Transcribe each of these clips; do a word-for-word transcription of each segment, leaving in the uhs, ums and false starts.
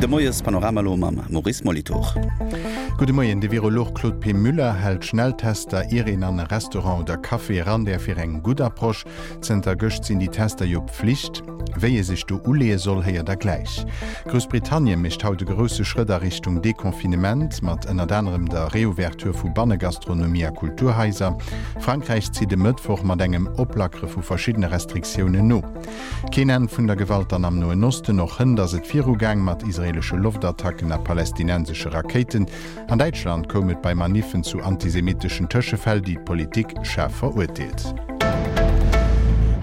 De Moiespanorama elo mam Maurice Molitor. Gudde Moien, De Virolog Claude P. Müller hält Schnelltester, ier een an e Restaurant oder Café eran däerf, fir eng gutt Approche. Zënter gëscht sinn déi Tester jo Pflicht. Wéi ee sech do uleeë soll, héiert der gläich. Groussbritannien mécht haut e grousse Schrëtt a Richtung Deconfinement, mat ënnert anerem der Reouverture vu Bannegastronomie a Kulturhaiser. Frankräich zitt e Mëttwoch mat engem Oplackere vu verschiddene Restriktiounen no. Keen Enn vun der Gewalt dann am Noen Osten, och hënt ass et virugaang mat israeelesche Loftattacken a palestinensesche Rakéiten. An Däitschland koum et bei Maniffen zu antisemitteschen Tëschefäll, déi d'Politik schaarf verurteelt.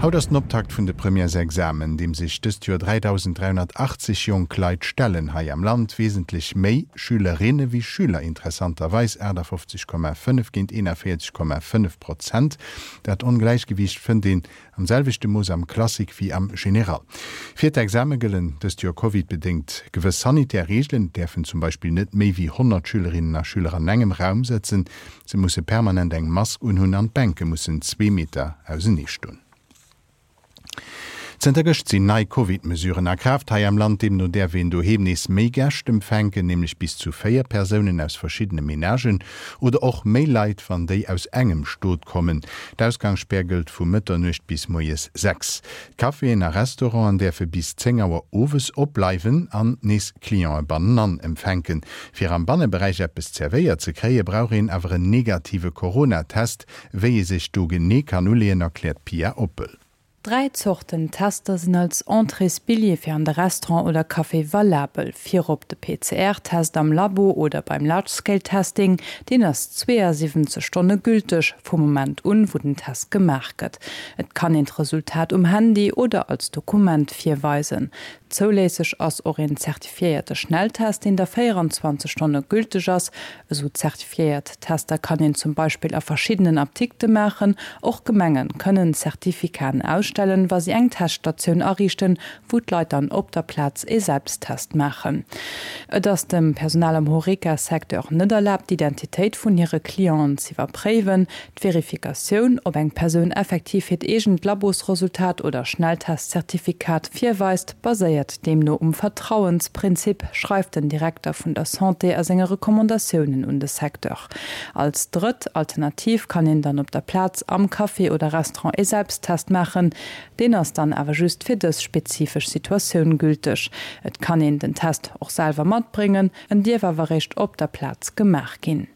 Haut ass den Optakt vun de Premièresexamen, deem sech dëst Joer dräidausend dräihonnertachtzeg jonk Leit stellen hei am Land. Wesentlech méi Schülerinne wéi Schüler, interessanterweis aachtafofzeg Komma fënnef géint eenavéierzeg Komma fënnef Prozent. Dat Ongläichgewiicht fënnt een am selwechte Mooss am Classique wéi am Général. Fir d'Exame gëllen dëst Joer Covid-bedéngt gewëss sanitär Reegelen, et däerfen zum Beispill net méi wéi honnert Schülerinnen a Schüler an engem Raum sëtzen, se musse permanent eng Mask unhunn an d'Bänke mussen zwee Meter ausenee stoen. Zënter gëscht sinn nei Covid-Mesuren a Kraaft hei am Land. Deemno däerf een doheem nees méi Gäscht empfänken, nämlech bis zu véier Persounen aus verschiddene Menagen oder och méi Leit, wann déi aus engem Stot kommen. D'Ausgangsspär gëllt vu Mëtternuecht bis moies sechs. D'Caféen a Restauranten däerfe bis zéng Auer owes opbleiwen an nees Cliente bannenan empfänken. Fir am Banneberäich eppes zerwéiert ze kréien, brauch een awer en negative Coronatest. Wéi ee sech do genee kann uleeën, erkläert d'Pia Oppel. Dräi Zorten Tester sinn als Entréesbilljee fir an de Restaurant oder Café valabel. Virop de P C R-Test am Labo oder beim Large-Scale-Testing, deen ass zweeasiwwenzeg Stonne gülteg, vum Moment un, wou den Test gemaach gëtt. Et kann een d'Resultat um Handy oder als Dokument virweisen. Zoulässeg ass och een zertifiéierte Schnelltest, deen da véieranzwanzeg Stonne gülteg ass. Esou zertifiéiert Tester kann een zum Beispill a verschiddenen Apdikte maachen. Och Gemenge kënnen Zertifikaten ausstellen, wa si eng Teststatioun ariichten, wou d'Leit dann op der Plaz e Selbsttest maachen. Et ass dem Personal am Horeca-Secteur net erlaabt, d'Identitéit vun hire Clienten z'iwwerpréiwen. D'Verifikatioun, ob eng Persoun effektiv hiert eegent Labosresultat oder Schnelltestzertifikat virweist, baséiert deemno um Vertrauensprinzip, schreift den Direkter vun der Santé a senge Recommandatiounen un de Secteur. Als drëtt Alternativ kann een dann op der Plaz am Café oder Restaurant e Selbsttest maachen. Deen ass dann awer just fir dës spezifesch Situatioun gülteg. Et kann een den Test och selwer matbréngen, en dierf awer eréischt op der Plaz gemaach ginn.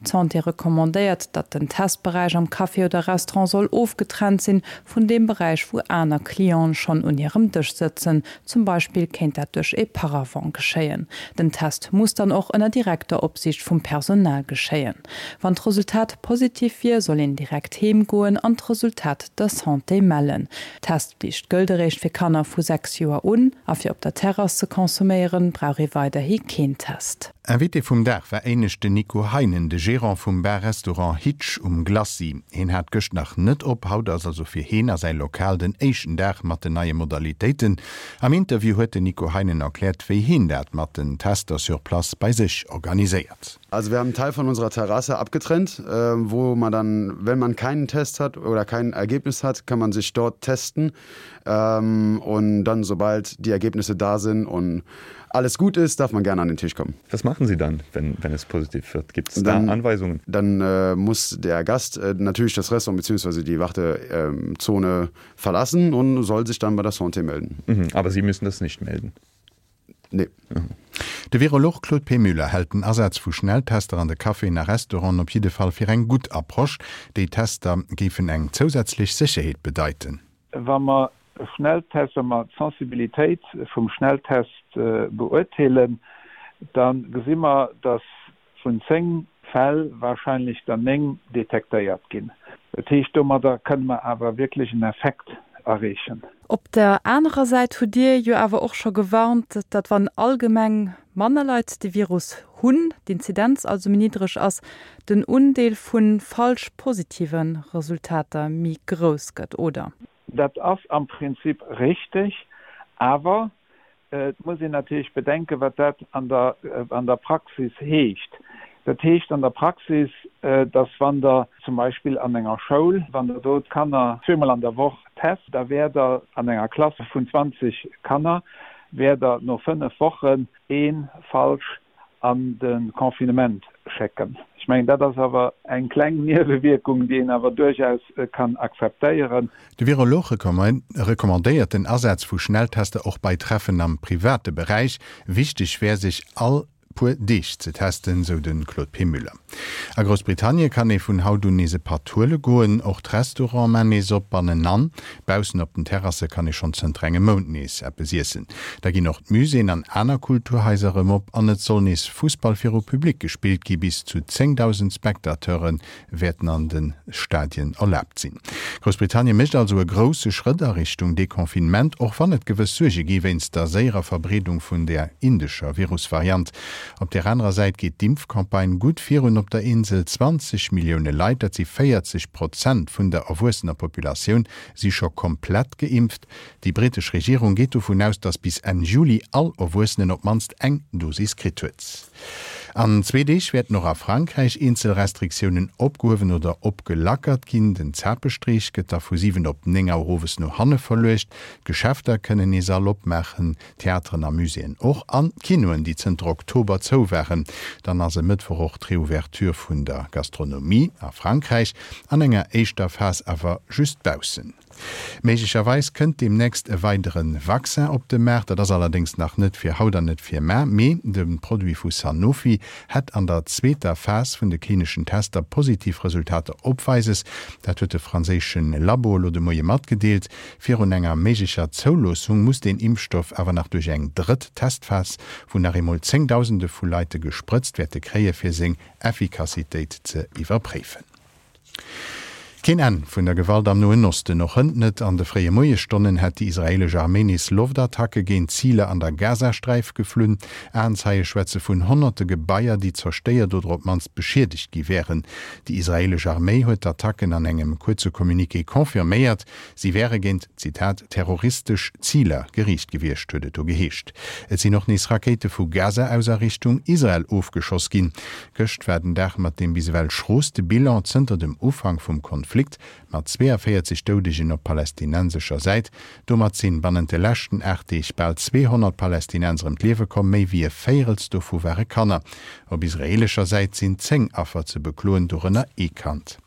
D'Santé recommandéiert, datt den Testberäich am Café oder Restaurant soll ofgetrennt sinn vun deem Beräich, wou aner Clienten schonn un hirem Dësch sëtzen. Zum Beispill kéint dat duerch e Paravent geschéien. Den Test muss dann och ënner direkter Opsiicht vum Personal geschéien. Wann d'Resultat positiv wier, soll een direkt heem goen an d'Resultat der Santé mellen. D'Testflicht gëllt eréischt fir Kanner vu sechs Joer un a fir op der Terrass ze konsuméieren, brauch ee weiderhi keen Test. Invité vum Dag war éinescht den Nico Heinen, de Gerant vum Bar-Restaurant Hitch um Glacis. Hien hat gëscht nach net op, haut ass also fir hien a säi Lokal den éischten Dag mat den neie Modalitéiten. Am Interview huet den Nico Heinen erkläert, wéi hien dat mat den Tester sur place bei sech organiséiert. Also wir haben einen Teil von unserer Terrasse abgetrennt, wo man dann, wenn man keinen Test hat oder kein Ergebnis hat, kann man sich dort testen. Und dann, sobald die Ergebnisse da sind und alles gut ist, darf man gerne an den Tisch kommen. Was machen Sie dann, wenn, wenn es positiv wird? Gibt es da Anweisungen? Dann äh, muss der Gast äh, natürlich das Restaurant beziehungsweise die Wartezone äh, verlassen und soll sich dann bei der Santé melden. Mhm, aber Sie müssen das nicht melden? Nee. Mhm. De Virolog Claude P. Müller hält den Asaz vu Schnelltester an de Caféen a Restauranten op jidde Fall fir eng gutt Approche. Déi Tester géifen eng zousätzlech Sécherheet bedeiten. Wa mer Schnelltest, wa mer d'Sensibilitéit vum Schnelltest beurteelen, da gesi mer, datt vun zéng Fäll warscheinlech der néng detektéiert ginn. Dat heescht, domadder kënne mer awer wierklech en Effekt erreechen. Op der anerer Säit hutt Dir jo awer och scho gewarnt, datt wann allgemeng manner Leit de Virus hunn, d'Inzidenz also méi niddreg ass, den Undeel vu falsch positive Resultater méi grouss gëtt, oder? Dat ass am Prinzip richteg, awer et muss een natierlech bedenken, wat dat an der, an der Praxis heescht. Dat heescht an der Praxis, dass wann Der zum Beispill an enger Schoul, wann Der do d'Kanner zweemol an der Woch test, da wäert Der an enger Klass vun zwanzeg Kanner wäert Der no fënnef Wochen ee falsch an de Confinement schécken. Ech mengen, dat ass awer eng kleng Niewewierkung, déi een awer duerchaus kann akzeptéieren. De Virolog recommandéiert den Asaz vu Schnelltester och bei Treffen am private Beräich. Wichteg wär, sech all puer Deeg ze testen, sou de Claude P. Müller. A Groussbritannie kann ee vun haut un nees e Patt huele goen. Och d'Restaurante man nees op, bannenan. Baussen op den Terrasse kann ee schonn zënter engem Mount nees eppes iessen. Da ginn och d'Muséeën an aner Kulturhaiser erëm op an et soll nees Fussball viru Public gespillt gi. Bis zu zéngdausend Spectateure wäerten an de Stadien erlaabt sinn. Groussbritannie mécht also e grousse Schrëtt a Richtung Deconfinement, och wann et gewëss Suerge gi wéinst der séierer Verbreedung vun der indescher Virusvariant. Op där anerer Säit geet d'Impfcampagne gutt virun op der Insel. zwanzeg Millioune Leit, dat si véierzeg Prozent vun der erwuessener Populatioun, si scho komplett geimpft. Déi brittesch Regierung geet dovun aus, datt bis Enn Juli all Erwuessenen op d'mannst eng Dosis kritt huet. An zwee Deeg wäerten och a Frankräich eenzel Restriktiounen opgehuewen oder opgelackert ginn. Den Zapestreech gëtt da vu siwen op néng Auer owes no hanne verluecht. D'Geschäfter kënnen nees all opmaachen, Theateren a Muséeën och, an d'Kinoen, déi zënter Oktober zou waren. Dann ass e Mëttwoch och d'Reouverture vun der Gastronomie a Frankräich, an enger éischter Phas awer just baussen. Méiglecherweis kënnt deemnächst e weidere Vaccin op de Maart. Dat ass allerdéngs nach net fir haut an net fir mar, mee de Produit vu Sanofi hätt an der zweeter Phas vun de klineschen Tester positiv Resultater opweises. Dat huet de franséische Labo elo de Moie matgedeelt. Virun enger méiglecher Zouloossung muss deen Impfstoff awer nach duerch eng drëtt Testphas, wou nach eemol Zéngdausende vu Leite gesprëtzt wäerte kréie fir seng Effikassitéit ze iwwerpréifen. Keen Enn vun der Gewalt am Noen Osten, och hënt net. An de fréie Moiesstonnen hätt déi israeelesch Arméi nees Loftattacke géint Ziler an der Gazasträif geflunn. Aenzeie schwätze vun honnerte Gebaier, déi zerstéiert oder op d'mannst beschiedegt gi wären. Déi israeelesch Arméi huet d'Attacken an engem kuerze Communiqué confirméiert. Si wäre géint, Zitat, terroristesch Ziler geriicht gewiescht, huet et do geheescht. Et sinn och nees Rakéite vu Gaza aus a Richtung Israel ofgeschoss ginn. Gëscht war den Dag mat deem bis ewell schrooste Bilan zënter dem Ufank vum Konflikt, mat zweeënvéierzeg Doudegen op palästinensescher Säit. Domat sinn bannent de leschten aacht Deeg bal zweehonnert Palästinenser ëm d'Liewe komm, méi wéi e Véirels dovu ware Kanner. Op israeelescher Säit sinn zéng Affer ze bekloen, dorënner ee Kand.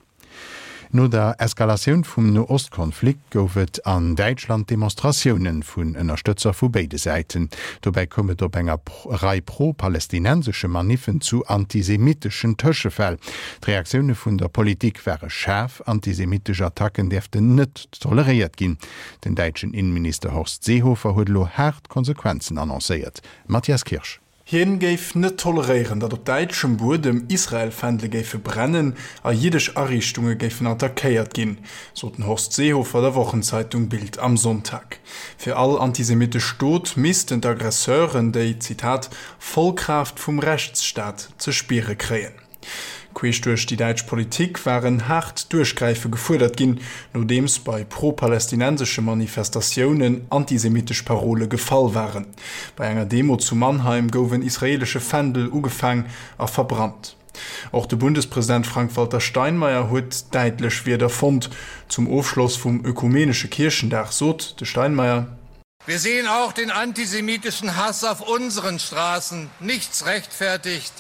No der Eskalatioun vum No-Ost-Konflikt gouf et an Däitschland Demonstratioune vun Ënnerstëtzer vu béide Säiten. Dobäi koum et op enger Rei pro-palästinensesche Maniffen zu antisemitteschen Tëschefäll. D'Reaktioune vun der Politik ware schaarf, Antisemittesch Attacken däerften net toleréiert ginn. Den däitschen Innenminister Horst Seehofer huet elo haart Konsequenzen annoncéiert. Matthias Kirsch. Hien géif net toleréieren, datt op däitschem Buedem Israel-Fändele géife brennen a jiddesch Ariichtunge géifen attackéiert ginn, sot den Horst Seehofer der Wochenzeitung Bild am Sonntag. Fir all antisemittesch Dot missten d'Aggresseuren déi, Zitat, voll Kraaft vum Rechtsstaat ze spiere kréien. Queesch duerch déi däitsch Politik war en haart Duerchgräife gefuerdert ginn, nodeems bei pro-palästinensesche Manifestatiounen antisemittesch Parole gefall waren. Bei enger Demo zu Mannheim gouf en israeelesche Fändel ugefaang a verbrannt. Och de Bundespresident Frank-Walter Steinmeier huet däitlech Wierder fonnt. Zum Ofschloss vum ökumenesche Kierchendag sot de Steinmeier. Wir sehen auch den antisemitischen Hass auf unseren Straßen. Nichts rechtfertigt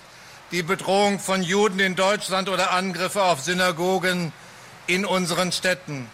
die Bedrohung von Juden in Deutschland oder Angriffe auf Synagogen in unseren Städten.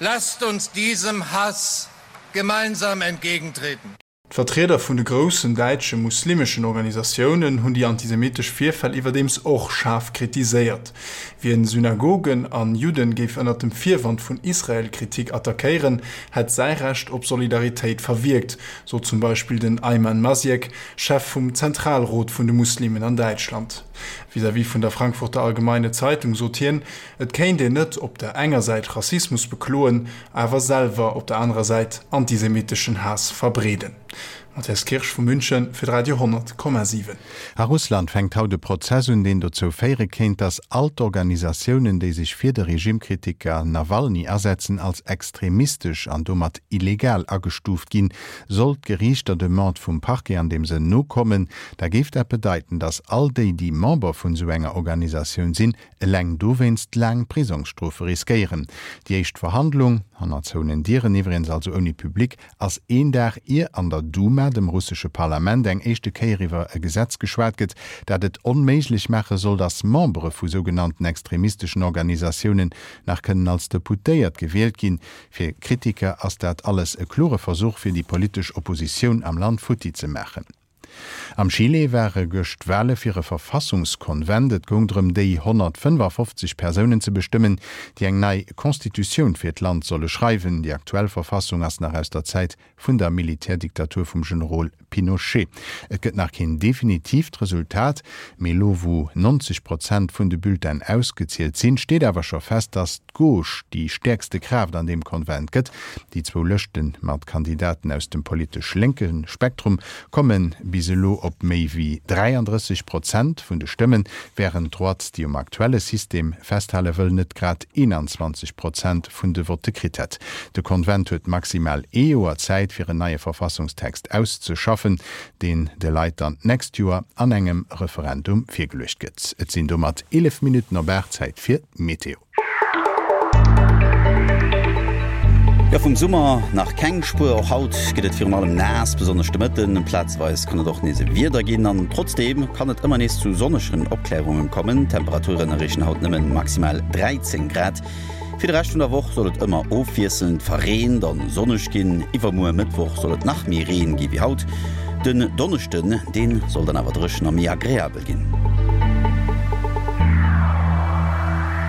Lasst uns diesem Hass gemeinsam entgegentreten. D'Vertrieder vun de groussen däitsche muslimeschen Organisatiounen hunn déi antisemittesch Virfäll iwwerdeems och schaarf kritiséiert. Wien Synagogen an Judden géif ënnert dem Virwand vun Israel-Kritik attackéieren, hätt säi Recht op Solidaritéit verwierkt, sot zum Beispill den Aiman Mazyek, Chef vum Zentralrot vun de Muslimen an Däitschland. Vis-à-vis vun der Frankfurter Allgemeine Zeitung sot hien, et kéint een net op der enger Säit Rassismus bekloen, awer selwer op der anerer Säit antisemitteschen Haass verbreeden. Matthias Kirsch vu München fir d'Radio honnert Komma siwen. A Russland fänkt haut e Prozess un, deen dozou féiere kéint, datt all d'Organisatiounen, déi sech fir de Regimekritiker Nawalny asetzen, als extremistesch an domat illegal agestuuft ginn. Sollt d'Geriicht der Demande vum Parquet an deem Sënn nokommen, da géif dat bedeiten, datt all déi, déi Member vun esou enger Organisatioun sinn, eleng dowéinst laang Prisongsstrofe riskéieren. Déi éischt Verhandlung, hanner zouenen Dieren iwwregens, also ouni Public, ass een Dag ier an der Duma Duma, dem russesche Parlament, eng éischte Kéier iwwer e Gesetz geschwat gëtt, dat et onméiglech maache soll, datt Membere vu sougenannten extremisteschen Organisatiounen nach kënnen als Deputéiert gewielt ginn. Fir Kritiker ass dat alles e klore Versuch, fir déi politesch Oppositioun am Land futti ze maachen. Am Chile ware gëscht Wale fir e Verfassungskonvent. Et goung drëm, déi honnertfënnefafofzeg Persounen ze bestëmmen, déi eng nei Constitutioun fir d'Land solle schreiwen. Déi aktuell Verfassung ass nach aus der Zäit vun der Militärdiktatur vum Generol Pinochet. Et gëtt nach keen definitiivt Resultat, mee elo wou neunzeg Prozent vun de Bulletinen ausgezielt sinn, steet awer scho fest, datt d'Gauche déi stäerkste Kraaft an deem Konvent gëtt. Déi zwou Lëschte mat Kandidaten aus dem politesch lénke Spektrum komme bis elo op méi wéi dräiandrësseg Prozent vun de Stëmmen, wärend d'Droite, déi um aktuelle System festhale wëll, net grad eenanzwanzeg Prozent vun de Votte kritt hätt. De Konvent huet maximal ee Joer Zäit, fir en neie Verfassungstext auszeschaffen, deen de Leit dann d'nächst Joer an engem Referendum virgeluecht gëtt. Et sinn domat eelef Minutten op aacht, Zäit fir d'Meteo. Jo, vum Summer nach keng Spuer. Och haut gëtt et virun allem naass, besonnesch de Mëtten. Plazeweis kann et och nees e Wieder ginn an trotzdeem kann et ëmmer nees zu sonnegen Opklärungen kommen. D'Temperaturen erreechen haut nëmmen maximal dräizéng Grad. Fir de Rescht vun der Woch soll et ëmmer ofwiesselnd verreent an sonneg ginn. Iwwermuer Mëttwoch soll et nach méi Reen gi wéi haut. Den Donneschden, deen soll dann awer dréchen a méi agreabel ginn.